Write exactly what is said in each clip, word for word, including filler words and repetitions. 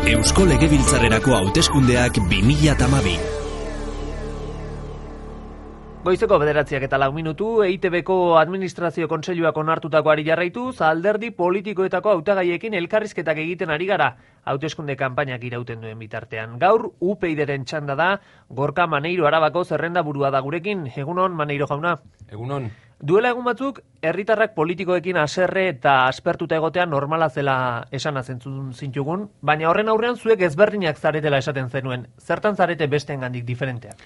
Eusko Legebiltzarrerako hauteskundeak bi mila hamabi. Goizeko bederatziak eta lau minutu, E I Te Beko Administrazio Kontseiluak onartutakoari jarraituz, alderdi politikoetako hautagaiekin elkarrizketak egiten ari gara, hauteskunde kanpainak irauten duen bitartean. Gaur, U P Yren txanda da, Gorka Maneiro Arabako zerrenda burua da gurekin. Egunon, Maneiro jauna. Egunon. Duela egun batzuk, herritarrak politikoekin haserre eta aspertuta egotea normala zela esana zentzun zintugun, baina horren aurrean zuek ezberdinak zaretela esaten zenuen. Zertan zarete besteengandik diferenteak?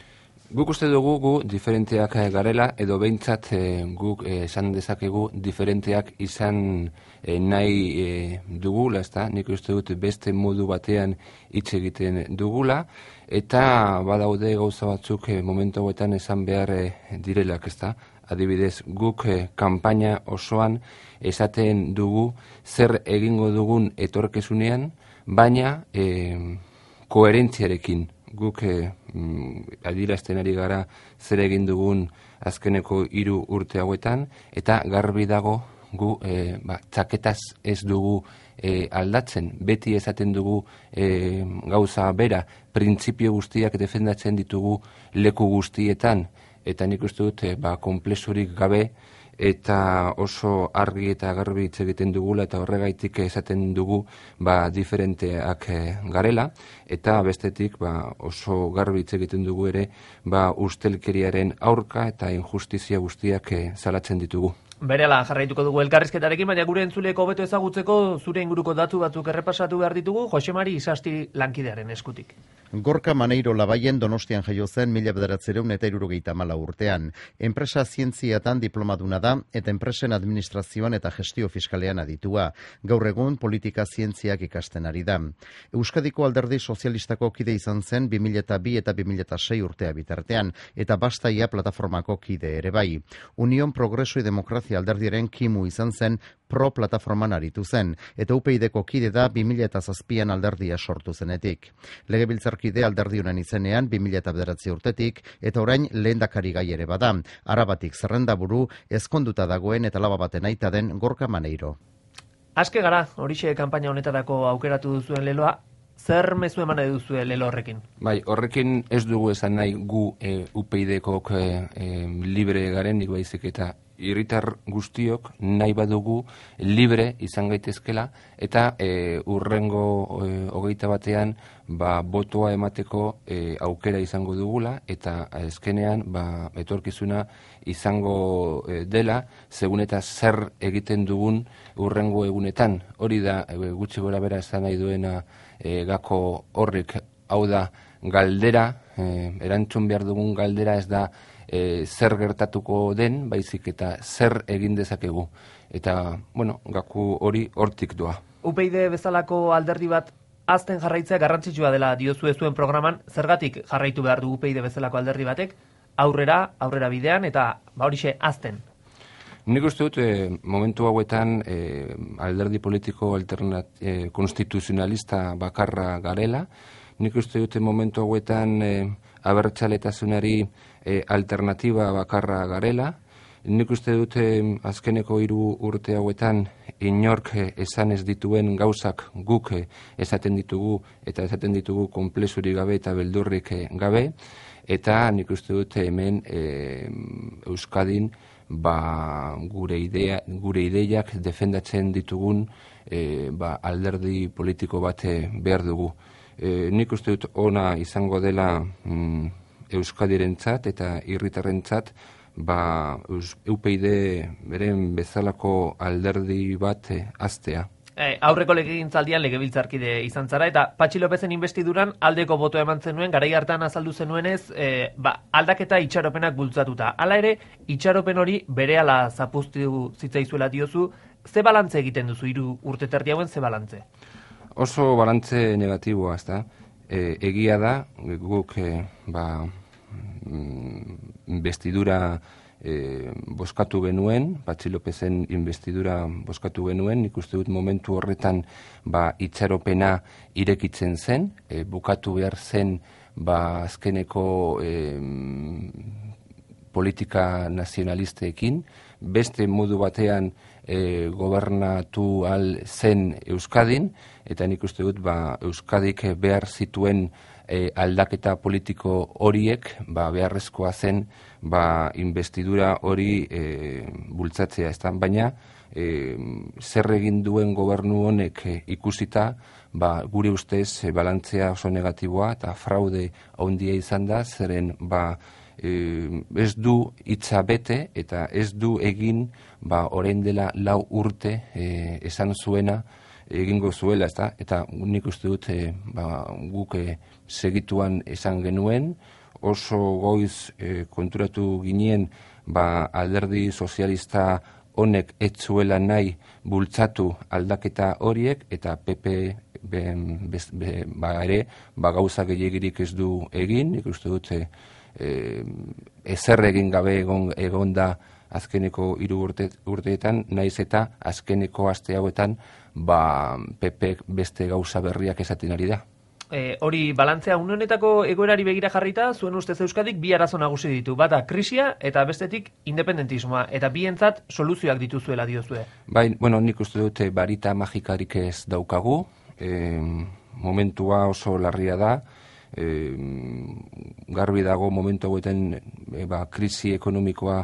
Guk uste dugu gu diferenteak garela, edo behintzat e, guk esan e, dezakegu diferenteak izan e, nahi e, dugula, ezta? Nik uste dut beste modu batean hitz egiten dugula, eta badaude gauza batzuk e, momentu hauetan esan behar e, direlak, ezta? Adibidez, guk e, kanpaina osoan esaten dugu zer egingo dugun etorkizunean, baina e, koherentziarekin. Guk eh, adierazten ari gara zer egin dugun azkeneko hiru urte hauetan, eta garbi dago gu eh, ba, txaketaz ez dugu eh, aldatzen. Beti esaten dugu eh, gauza bera, printzipio guztiak defendatzen ditugu leku guztietan, eta nik uste dut eh, ba, konplexurik gabe, eta oso argi eta garbi hitz egiten dugula, eta horregaitik esaten dugu ba, diferenteak garela, eta bestetik ba, oso garbi hitz egiten dugu ere ba, ustelkeriaren aurka eta injustizia guztiak salatzen ditugu. Berehala jarraituko dugu elkarrizketarekin, baina gure entzuleko hobeto ezagutzeko zure inguruko datu batzuk errepasatu behar ditugu, Josemari Isasti lankidearen eskutik. Gorka Maneiro Labaien Donostian jaio zen mila bederatziehun eta hirurogeita hamalau urtean. Enpresa zientziatan diplomaduna da eta enpresen administrazioan eta gestio fiskalean aditua. Gaur egun politika zientziak ikasten ari da. Euskadiko Alderdi Sozialistako kide izan zen bi mila bi eta bi mila sei urtea bitartean, eta Bastaia plataformako kide ere bai. Unión Progreso y Democracia alderdiaren kimu izan zen pro plataforman aritu zen, eta U P Ydeko kide da bi mila zazpian alderdia sortu zenetik. Legebiltzarkide alderdi honen izenean bi mila bederatzi urtetik, eta orain lehendakari gai ere bada. Arabatik zerrendaburu ezkonduta dagoen eta laba baten aita den Gorka Maneiro. Aske gara, horixe kanpaina honetarako aukeratu duzuen leloa, zer mezu eman nahi duzue lelo horrekin? Bai, horrekin ez dugu esan nahi gu e, U P Ydeko e, e, libre garenik baizik, eta herritar guztiok nahi badugu libre izan gaitezkela, eta e, urrengo e, hogeita batean ba, botoa emateko e, aukera izango dugula, eta azkenean ba, etorkizuna izango e, dela, segun eta zer egiten dugun urrengo egunetan. Hori da e, gutxi gora bera esan nahi duena e, gako horrek, hau da galdera, e, erantzun behar dugun galdera ez da E, zer gertatuko den, baizik eta zer egin dezakegu. Eta, bueno, gaku hori hortik doa. U P Y bezalako alderdi bat azten jarraitzea garrantzitsua dela diozue zuen programan, zergatik jarraitu behar du U P Y bezalako alderdi batek, aurrera, aurrera bidean, eta ba horixe azten. Nik uste dut, e, momentu hauetan e, alderdi politiko alternat, e, konstituzionalista bakarra garela. Nik uste dut momentu hauetan e, abertzaletasunari e, alternatiba bakarra garela. Nik uste dute azkeneko hiru urte hauetan inork esan ez dituen gauzak guk esaten ditugu, eta esaten ditugu konplexurik gabe eta beldurrik gabe, eta nik uste dute hemen e, Euskadin ba, gure, idea, gure ideiak defendatzen ditugun e, ba, alderdi politiko bat behar dugu. E, nik uste dut ona izango dela mm, Euskadirentzat eta herritarrentzat ba, U P Y beren bezalako alderdi bat haztea. E, aurreko legegintzaldian legebiltzarkide izan zara, eta Patxi Lopezen investiduran aldeko botoa eman zenuen, garai hartan azaldu zenuenez, e, ba, aldaketa itxaropenak bultzatuta. Hala ere, itxaropen hori berehala zapuztu zitzaizuela diozu, ze balantze egiten duzu hiru urte terdi hauen, ze balantze? Oso balantze negatiboa, ezta? E, egia da, guk e, ba, investidura e, boskatu genuen, Patxi Lopezen investidura boskatu genuen, nik uste dut momentu horretan ba, itxaropena irekitzen zen, e, bukatu behar zen ba, azkeneko e, politika nazionalisteekin, beste modu batean e, gobernatu al zen Euskadin, eta nik uste dut ba, Euskadik behar zituen e, aldaketa politiko horiek ba, beharrezkoa zen ba, investidura hori e, bultzatzea. Ez da? Baina e, zer egin duen gobernu honek e, ikusita, ba, gure ustez e, balantzea oso negatiboa eta fraude handia izan da, zeren ba, e, ez du hitza bete eta ez du egin ba, orain dela lau urte e, esan zuena egingo zuela, ezta? Eta nik uste dut e, ba, guk e, segituan esan genuen, oso goiz e, konturatu ginen ba, alderdi sozialista honek ez zuela nahi bultzatu aldaketa horiek, eta P P be, be, be, ba, ere ba, gauza gehiagirik ez du egin. Nik uste dut e, ezer egin gabe egon, egon da azkeneko hiru urte, urteetan, naiz eta azkeneko aste hauetan ba, P P beste gauza berriak esaten ari da. E, hori balantzea une honetako egoerari begira jarrita, zuen ustez Euskadik bi arazo nagusi ditu. Bata krisia eta bestetik independentismoa, eta bientzat soluzioak dituzuela diozue. Bai, bueno, nik uste dute barita magikarik ez daukagu, e, momentua oso larria da, e, garbi dago momentu hauetan e, ba, krisi ekonomikoa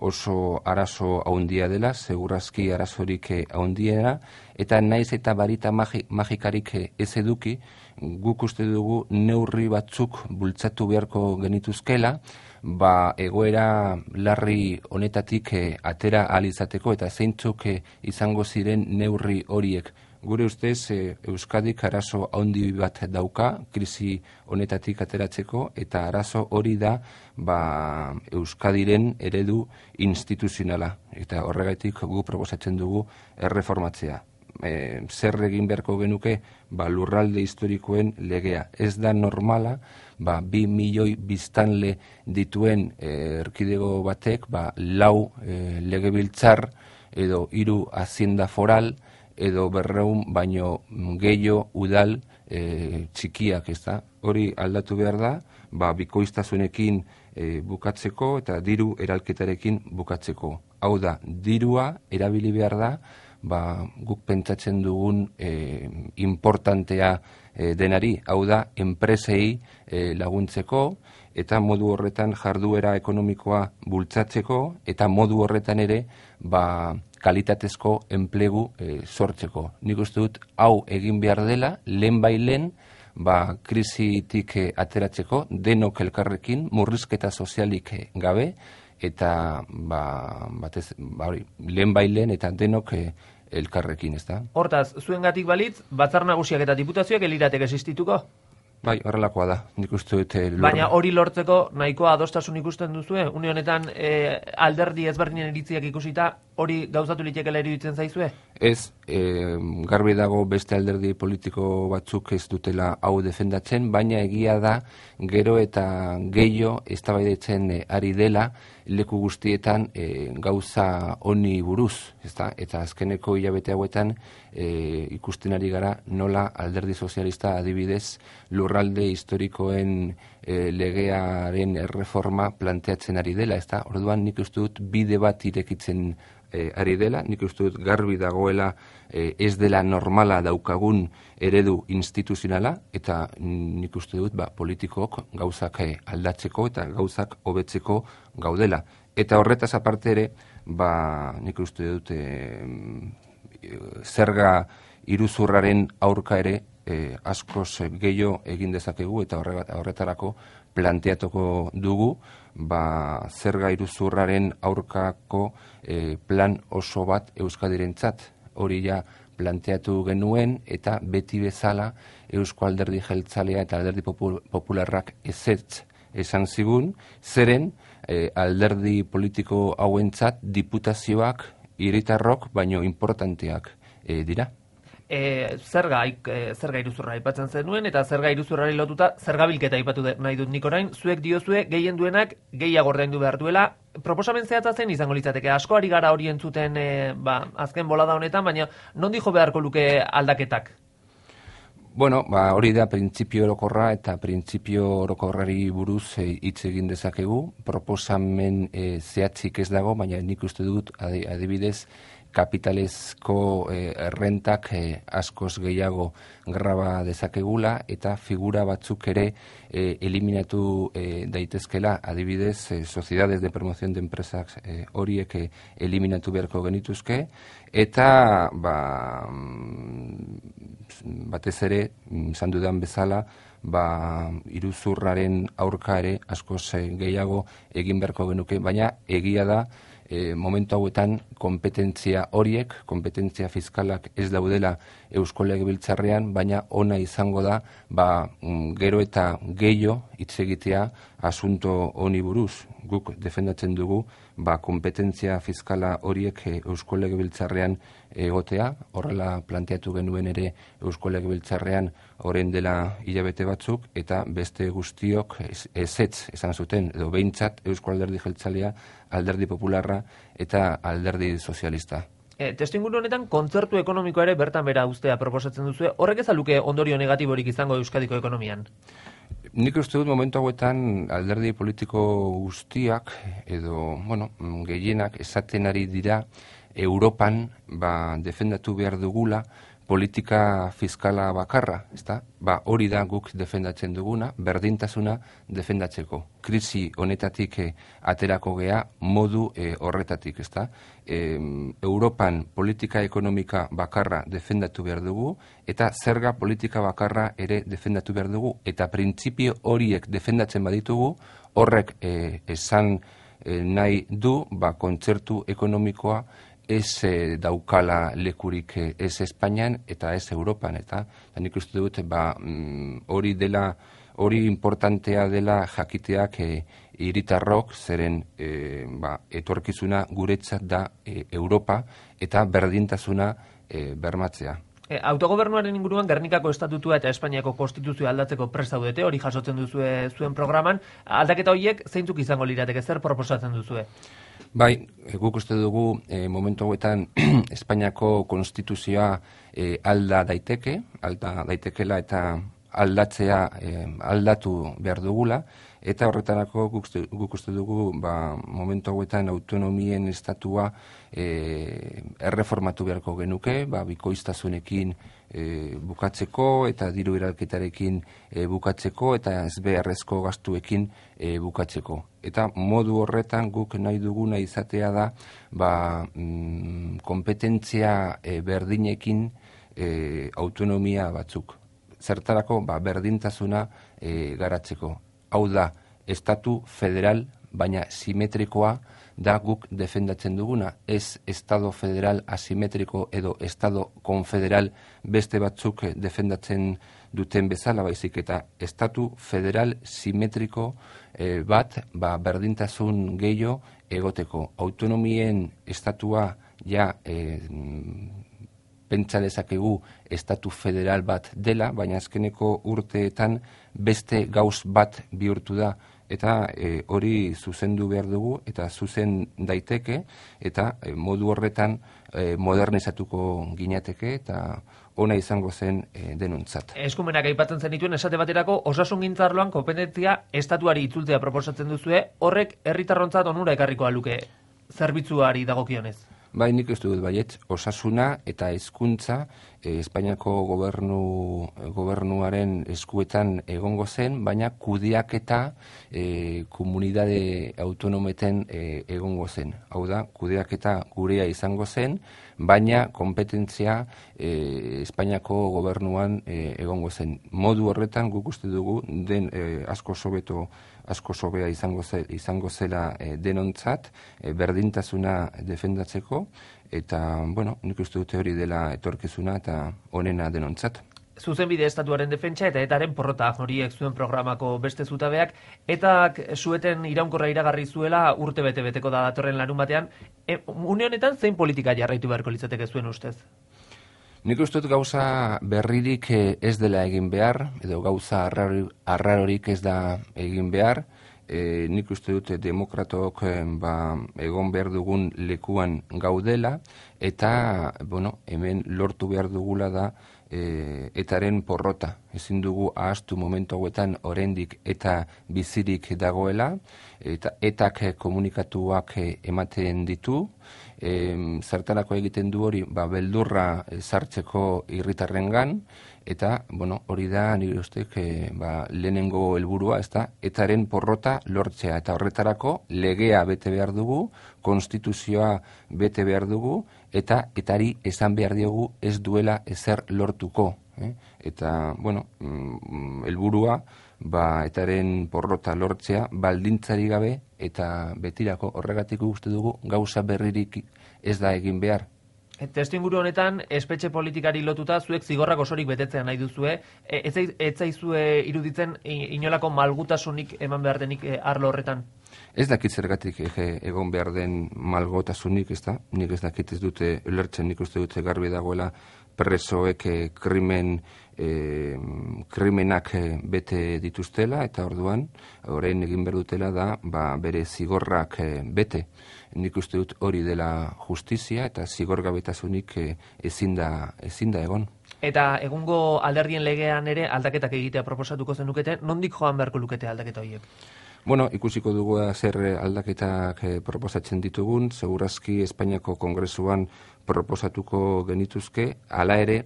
oso arazo haundia dela, segurazki arazorik haundiena, eta naiz eta barita magi, magikarik ez eduki, guk uste dugu neurri batzuk bultzatu beharko genituzkela, ba, egoera larri honetatik eh, atera ahal izateko, eta zeintzuk eh, izango ziren neurri horiek. Gure ustez eh, Euskadik arazo handi bat dauka krisi honetatik ateratzeko, eta arazo hori da ba, Euskadiren eredu instituzionala, eta horregatik gu proposatzen dugu erreformatzea. E, zer egin beharko genuke ba, lurralde historikoen legea. Ez da normala ba, bi milioi biztanle dituen e, erkidego batek ba, lau e, legebiltzar edo hiru hazienda foral edo berreun baino gehiago udal e, txikiak, ez da? Hori aldatu behar da, ba, bikoiztasunekin e, bukatzeko eta diru eralketarekin bukatzeko. Hau da, dirua erabili behar da, ba, guk pentsatzen dugun e, importantea e, denari, hau da, enpresei e, laguntzeko, eta modu horretan jarduera ekonomikoa bultzatzeko, eta modu horretan ere ba, kalitatezko enplegu e, sortzeko. Nik uste dut, hau egin behar dela, lehen bai lehen, ba, krisitik e, ateratzeko, denok elkarrekin, murrizketa sozialik e, gabe, eta ba, batez, ba, hori, lehen bai lehen, eta denok e, elkarrekin, ez da? Hortaz, zuengatik balitz, batzar nagusiak eta diputazioak elirateke existituko? Bai, horrelakoa da. Nik uste dut... Lor... Baina hori lortzeko nahikoa adostasun ikusten duzue? Une honetan e, alderdi ezberdinen iritziak ikusita hori gauzatu litekela iruditzen zaizue? Ez, e, garbi dago beste alderdi politiko batzuk ez dutela hau defendatzen, baina egia da gero eta gehiago eztabaidatzen e, ari dela leku guztietan e, gauza honi buruz, ezta? Eta azkeneko hilabete hauetan e, ikusten ari gara nola alderdi sozialista adibidez lurralde historikoen e, legearen erreforma planteatzen ari dela, ezta? Orduan nik uste dut bide bat irekitzen e, ari dela, nik uste dut garbi dagoela e, ez dela normala daukagun eredu instituzionala, eta nik uste dut ba, politikok gauzak aldatzeko eta gauzak hobetzeko gaudela. Eta horretaz aparte ere, ba, nik uste dut e, zerga iruzurraren aurka ere e, askoz gehiago egin dezakegu, eta horretarako planteatuko dugu ba, zerga iruzurraren aurkako e, plan oso bat Euskadirentzat. Hori ja planteatu genuen, eta beti bezala Eusko Alderdi Jeltzalea eta Alderdi Popularrak ezetz esan zigun, zeren e, alderdi politiko hauentzat diputazioak hiritarrok baino importanteak e, dira. E, zerga, e, zerga iruzurra aipatzen zenuen, eta zerga iruzurrari lotuta zergabilketa aipatu nahi dut nik orain, zuek diozue gehien duenak gehiago ordaindu behar duela. Proposamen zehatza zen izango litzateke, asko ari gara hori entzuten e, ba, azken bolada honetan, baina non dijo beharko luke aldaketak? Bueno, ba, hori da printzipio orokorra, eta printzipio orokorrari buruz hitz e, egin dezakegu. Proposamen e, zehatzik ez dago, baina nik uste dut adibidez kapitalezko e, errentak e, askoz gehiago graba dezakegula eta figura batzuk ere e, eliminatu e, daitezkela, adibidez, e, Sociedades de Promoción de Empresas e, horiek e, eliminatu beharko genituzke, eta ba, batez ere, izan dudan bezala, ba, iruzurraren aurka ere askoz gehiago egin beharko genuke, baina egia da e, momentu hauetan kompetentzia horiek, kompetentzia fiskalak ez daudela Eusko Legebiltzarrean, baina ona izango da ba, gero eta gehiago hitz egitea asunto honi buruz. Guk defendatzen dugu ba, kompetentzia fiskala horiek Eusko Legebiltzarrean egotea, horrela planteatu genuen ere Eusko Legebiltzarrean orain dela hilabete batzuk, eta beste guztiok ezetz esan zuten, edo behintzat Eusko Alderdi Jeltzalea, Alderdi Popularra eta Alderdi Sozialista. E, Testuinguru honetan kontzertu ekonomikoa ere bertan bera uztea proposatzen duzue, horrek ez aluke ondorio negatiborik izango Euskadiko ekonomian? Nik uste dut momentu hauetan alderdi politiko guztiak edo, bueno, gehienak esaten ari dira Europan ba, defendatu behar dugula politika fiskala bakarra, ezta? Ba, hori da guk defendatzen duguna, berdintasuna defendatzeko. Krisi honetatik eh, aterako gea modu eh, horretatik, ezta? E, Europan politika ekonomika bakarra defendatu behar dugu, eta zerga politika bakarra ere defendatu behar dugu, eta printzipio horiek defendatzen baditugu, horrek eh, esan eh, nahi du, ba, kontzertu ekonomikoa ez e, daukala lekurik e, ez Espainian eta ez Europan, eta, eta nik uste dut ba, mm, hori dela, hori importantea dela jakiteak e, hiritarrok, zeren e, ba, etorkizuna guretzat da e, Europa eta berdintasuna e, bermatzea. E, autogobernuaren inguruan Gernikako estatutua eta Espainiako konstituzioa aldatzeko prest zaudete, hori jasotzen duzue zuen programan. Aldaketa horiek zeintzuk izango lirateke, zer proposatzen duzue? Bai, guk uste dugu e, momentu hauetan Espainiako konstituzioa e, alda daiteke, alda daitekela eta aldatzea e, aldatu behar dugula, eta horretarako guk, guk uste dugu ba, momentu hauetan autonomien estatua e, erreformatu beharko genuke, ba, bikoiztasunekin e, bukatzeko eta diru eralketarekin e, bukatzeko eta ez beharrezko gastuekin e, bukatzeko. Eta modu horretan guk nahi duguna izatea da ba, mm, kompetentzia e, berdinekin e, autonomia batzuk. Zertarako ba, berdintasuna e, garatzeko. Hau da, estatu federal, baina simetrikoa da guk defendatzen duguna. Ez estado federal asimetriko edo estado konfederal beste batzuk defendatzen duten bezala, baizik eta estatu federal simetriko e, bat ba, berdintasun gehiago egoteko. Autonomien estatua ja e, pentsa dezakegu estatu federal bat dela, baina azkeneko urteetan beste gauz bat bihurtu da, eta e, hori zuzendu behar dugu, eta zuzen daiteke, eta e, modu horretan e, modernizatuko ginateke, eta ona izango zen e, denontzat. Eskumenak aipatzen zenituen esate baterako osasun gintzarloan kompetentzia estatuari itzultzea proposatzen duzue, horrek herritarrontzat onura ekarriko aluke zerbitzuari dagokionez. Bai, nik ez dut baiet, osasuna eta hezkuntza eh, Espainiako gobernu, gobernuaren eskuetan egongo zen, baina kudeaketa eh, komunidade autonometen eh, egongo zen. Hau da, kudeaketa gurea izango zen, baina kompetentzia eh, Espainiako gobernuan eh, egongo zen. Modu horretan guk uste dugu den eh, asko sobeto asko sobea izango, ze, izango zela e, denontzat, e, berdintasuna defendatzeko, eta, bueno, nik uste dute hori dela etorkizuna eta onena denontzat. Zuzenbide estatuaren defentsa eta etaren porrota horiek zuen programako beste zutabeak, etak sueten iraunkorra iragarri zuela urte bete-beteko da datorren larun batean. E, une honetan zein politika jarraitu beharko litzateke zuen ustez? Nik uste dut gauza berririk ez dela egin behar, edo gauza arrarorik ez da egin behar. E, nik uste dut demokratok ba, egon behar dugun lekuan gaudela, eta bueno, hemen lortu behar dugula da e, etaren porrota. Ezin dugu ahaztu momentu hauetan oraindik eta bizirik dagoela, eta etak komunikatuak ematen ditu, e, zertarako egiten du hori, ba, beldurra sartzeko herritarrengan, eta, bueno, hori da, nire ustek, e, ba, lehenengo helburua, ez da, etaren porrota lortzea, eta horretarako legea bete behar dugu, konstituzioa bete behar dugu, eta etari esan behar diogu ez duela ezer lortuko. Eh? Eta, bueno, helburua, ba, etaren porrota lortzea, baldintzari gabe, eta betirako horregatik uste dugu gauza berririk ez da egin behar. Testu inguru honetan, espetxe politikari lotuta, zuek zigorrak osorik betetzea nahi duzue, ez zaizue iruditzen inolako malgutasunik eman behar denik arlo horretan? Ez dakit zergatik egon behar den malgotasunik, ez da? Nik ez dakit ez dute ulertzen, nik uste dute garbi dagoela presoek krimen E, krimenak bete dituztela, eta orduan orain egin behar dutela da ba, bere zigorrak bete. Nik uste dut hori dela justizia, eta zigorgabetasunik ezin da, ezin da egon. Eta egungo alderdien legean ere aldaketak egitea proposatuko zenukete, nondik joan beharko lukete aldaketa horiek? Bueno, ikusiko dugu zer aldaketak proposatzen ditugun, segurazki Espainiako Kongresuan proposatuko genituzke, hala ere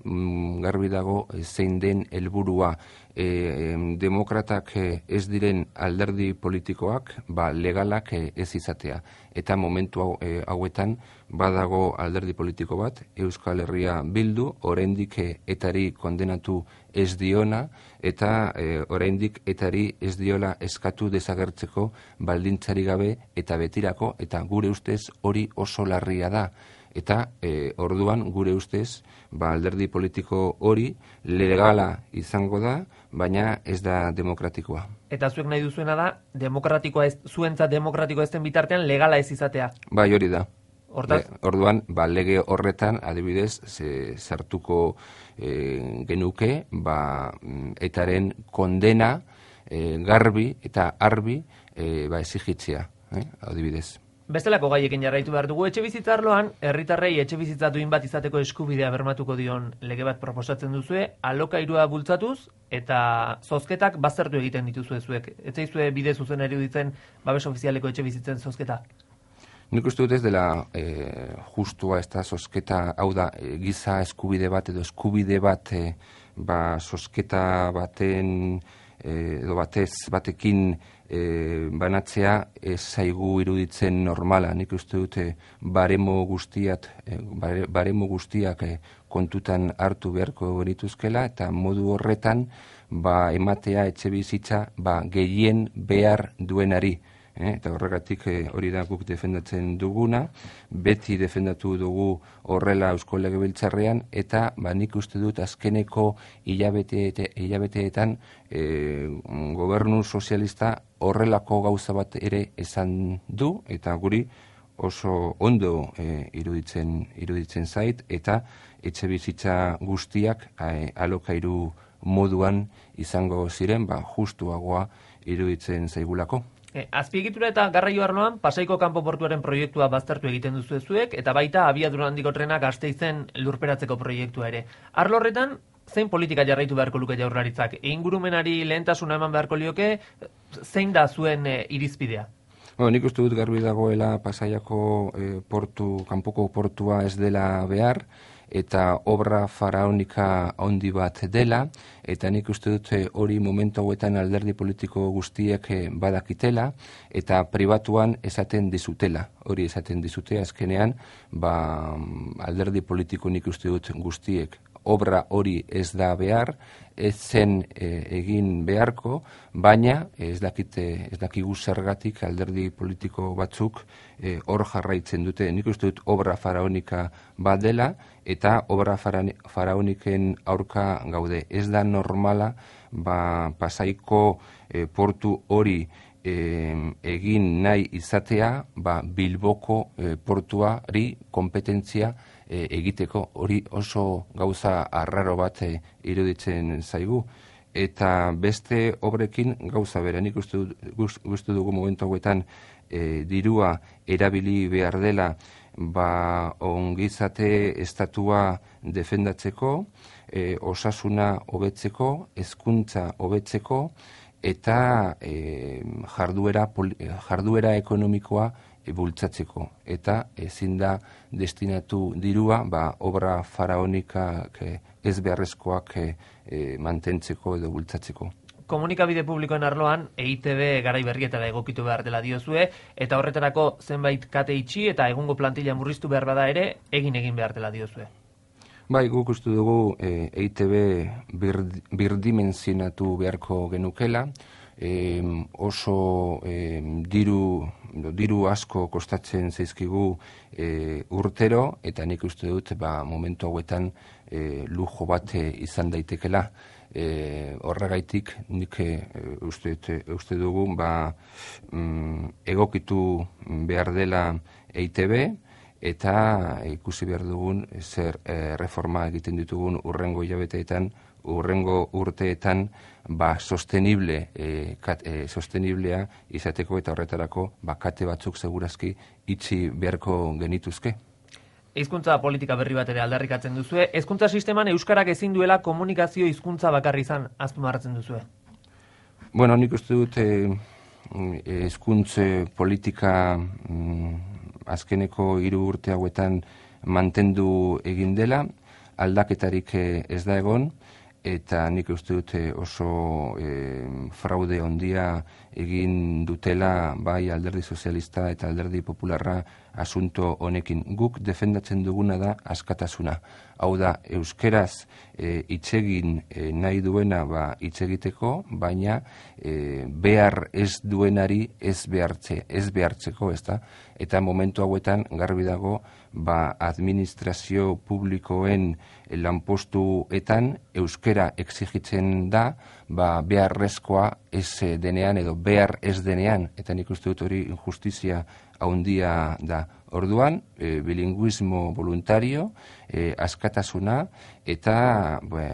garbi dago zein den helburua. E, demokratak ez diren alderdi politikoak, ba, legalak ez izatea. Eta momentu hau, e, hauetan badago alderdi politiko bat, Euskal Herria Bildu, oraindik etari kondenatu ez diona, eta e, oraindik etari ez diola eskatu desagertzeko baldintzari gabe eta betirako, eta gure ustez hori oso larria da. Eta e, orduan gure ustez ba, alderdi politiko hori legala izango da, baina ez da demokratikoa. Eta zuek nahi duzuena da, demokratikoa ez, zuentzat demokratikoa ez den bitartean legala ez izatea? Bai, hori da. Hortaz? Le, orduan, ba, lege horretan, adibidez, ze, sartuko e, genuke, ba, etaren kondena e, garbi eta arbi e, ba, exigitzea, eh, adibidez. Bestelako gaiekin jarraitu behar dugu, etxe bizitzarloan, herritarrei etxe bizitza duin bat izateko eskubidea bermatuko dion lege bat proposatzen duzue, alokairua bultzatuz eta zozketak baztertu egiten dituzue zuek. Ez zaizue bide zuzen eruditzen babes ofizialeko etxe bizitzen zozketa? Nik uste dut ez dela e, justua ez da zozketa, hau da, e, giza eskubide bat edo eskubide bat e, ba, zozketa baten e, edo batez batekin E, banatzea ez zaigu iruditzen normala. Nik uste dute baremo guztiak, e, bare, baremo guztiak e, kontutan hartu beharko genituzkela, eta modu horretan ba, ematea etxe bizitza ba, gehien behar duenari. Eh, eta horregatik eh, hori da guk defendatzen duguna, beti defendatu dugu horrela Eusko Legebiltzarrean, eta ba, nik uste dut azkeneko hilabete, hilabeteetan eh, gobernu sozialista horrelako gauza bat ere esan du, eta guri oso ondo eh, iruditzen, iruditzen zait, eta etxe bizitza guztiak eh, alokairu moduan izango ziren, ba, justuagoa iruditzen zaigulako. E, azpiegitura eta garraio arloan Pasaiko kanpo portuaren proiektua baztertu egiten duzu zuek, eta baita abiadura handiko trena Gasteizen lurperatzeko proiektua ere. Arlo horretan, zein politika jarraitu beharko luke Jaurlaritzak? Ingurumenari lehentasuna eman beharko lioke, zein da zuen e, irizpidea? Bueno, nik uste dut garbi dagoela Pasaiako e, portu, kanpoko portua ez dela behar, eta obra faraonika handi bat dela, eta nik uste dut hori momentu hauetan alderdi politiko guztiek badakitela, eta pribatuan esaten dizutela. Hori esaten dizute azkenean, ba, alderdi politiko nik uste dut guztiek obra hori ez da behar, ez zen e, egin beharko, baina ez dakite, ez dakigu zergatik alderdi politiko batzuk e, hor jarraitzen dute. Nik uste dut obra faraonika bat dela, eta obra faraoniken aurka gaude. Ez da normala ba, Pasaiko e, portu hori e, egin nahi izatea ba, Bilboko e, portuari kompetentzia E, egiteko. Hori oso gauza arraro bat e, iruditzen zaigu. Eta beste obrekin gauza bera. Nik uste, uste dugu momentu hauetan e, dirua erabili behar dela ba, ongizate estatua defendatzeko, e, osasuna hobetzeko, hezkuntza hobetzeko, eta e, jarduera, jarduera ekonomikoa bultzatzeko. Eta ezin da destinatu dirua ba, obra faraonikak ez beharrezkoak e, mantentzeko edo bultzatzeko. Komunikabide publikoen arloan E I Te Be garai berrietara egokitu behar dela diozue, eta horretarako zenbait kate itxi eta egungo plantilla murriztu behar bada ere, egin egin behar dela diozue. Bai, guk uste dugu E I Te Be bird, birdimenzionatu beharko genukela, e, oso e, diru, diru asko kostatzen zaizkigu e, urtero, eta nik uste dut ba, momentu hauetan e, lujo bat izan daitekela. E, horregaitik nik e, uste, uste dugu ba, mm, egokitu behar dela E I Te Be, eta ikusi behar dugun zer e, reforma egiten ditugun urrengo hilabeteetan, urrengo urteetan ba, sostenible, e, kat, e, sosteniblea izateko eta horretarako ba, kate batzuk segurazki itxi beharko genituzke. Hizkuntza politika berri bat ere aldarrikatzen duzue. Hezkuntza sisteman euskarak ezin duela komunikazio hizkuntza bakarri izan azpimarratzen duzue. Bueno, nik uste dut hezkuntza e, politika mm, azkeneko hiru urte hauetan mantendu egin dela, aldaketarik ez da egon, eta nik uste dut oso e, fraude ondia egin dutela bai alderdi sozialista eta alderdi popularra asunto honekin. Guk defendatzen duguna da askatasuna. Hau da, euskeraz e, itzegin e, nahi duena ba, itzegiteko, baina e, behar ez duenari ez behartze, ez behartzeko, ez da? Eta momentu hauetan garbi dago ba, administrazio publikoen lanpostuetan euskera exigitzen da ba, beharrezkoa ez denean edo behar ez denean, eta nik uste dut hori injustizia haundia da. Orduan, e, bilinguismo voluntario, e, askatasuna eta be,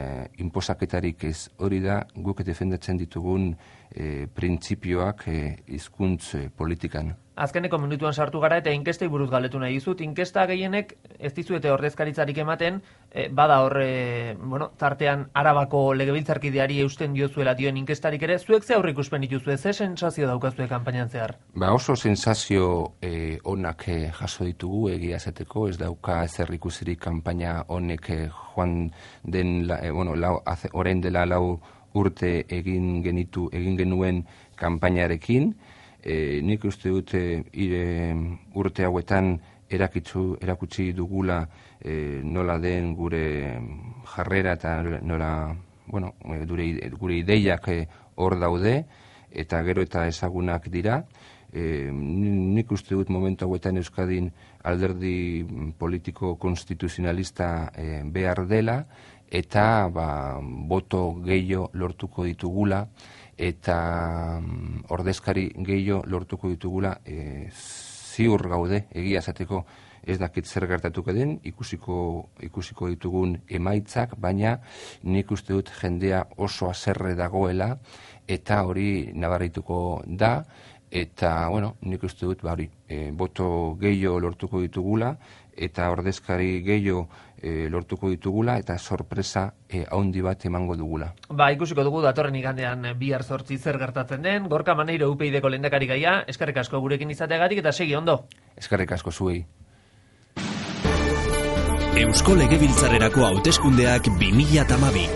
inposaketarik ez, hori da guk defendatzen ditugun e, printzipioak e, hizkuntz e, politikan. Azkeneko minutuan sartu gara eta inkestei buruz galdetu nahi dizut. Inkesta gehienek ez dizuete ordezkaritzarik ematen, e, bada horre, bueno, tartean Arabako legebiltzarkideari eusten diozuela dioen inkestarik ere, zuek ze aurreikuspen dituzue, ze sensazio daukazue kanpainan zehar? Ba oso sensazio e, onak e, jaso ditugu egia esateko, ez dauka ezer ikusirik kanpaina honek e, joan den, la, e, bueno, lau, aze, orain dela lau urte egin genitu, egin genuen kanpainarekin. E, nik uste dut e, urte hauetan erakitzu, erakutsi dugula e, nola den gure jarrera eta nola, bueno, gure, gure ideiak hor daude eta gero eta ezagunak dira. E, nik uste dut momentu hauetan Euskadin alderdi politiko konstituzionalista e, behar dela eta ba, boto gehiago lortuko ditugula eta um, ordezkari gehiago lortuko ditugula e, ziur gaude egia esateko ez dakit zer gertatuko den, ikusiko, ikusiko ditugun emaitzak, baina nik uste dut jendea oso haserre dagoela eta hori nabarituko da eta, bueno, nik uste dut ba, hori, e, boto gehiago lortuko ditugula eta ordezkari gehiago e, lortuko ditugula eta sorpresa e, haundi bat emango dugula. Ba, ikusiko dugu datorren igandean bihar zortzi zer gertatzen den. Gorka Maneiro U P I Deko lehendakari gaia, eskerrik asko gurekin izateagatik eta segi ondo. Eskerrik asko zuei. Eusko Legebiltzarrerako hauteskundeak bi mila hamabi.